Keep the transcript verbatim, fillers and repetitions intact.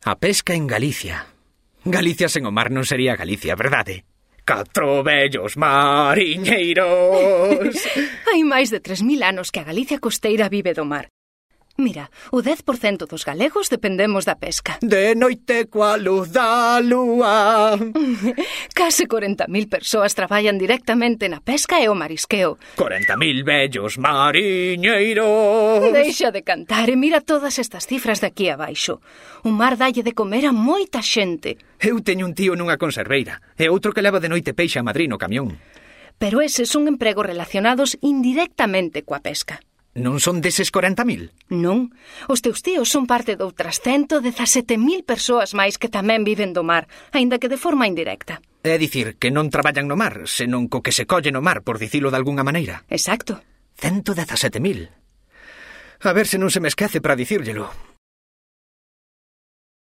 A pesca en Galicia. Galicia sen o mar non sería Galicia, verdade? Catro vellos mariñeiros. Hai máis de tres mil anos que a Galicia costeira vive do mar. Mira, o dez por cento dos galegos dependemos da pesca. De noite coa luz da lúa. Case corenta mil persoas traballan directamente na pesca e o marisqueo. corenta mil vellos mariñeiros. Deixa de cantar e mira todas estas cifras de aquí abaixo. O mar dalle de comer a moita xente. Eu teño un tío nunha conserveira e outro que leva de noite peixe a Madrid no camión. Pero eses son empregos relacionados indirectamente coa pesca. Non son deses corenta mil? Non. Os teus tíos son parte de outras ciento dezasete mil persoas máis que tamén viven do mar, aínda que de forma indirecta. É dicir, que non traballan no mar, senón co que se colle no mar, por dicilo de algunha maneira. Exacto. Cento dezasete mil. A ver se non se me esquece para dicírllelo.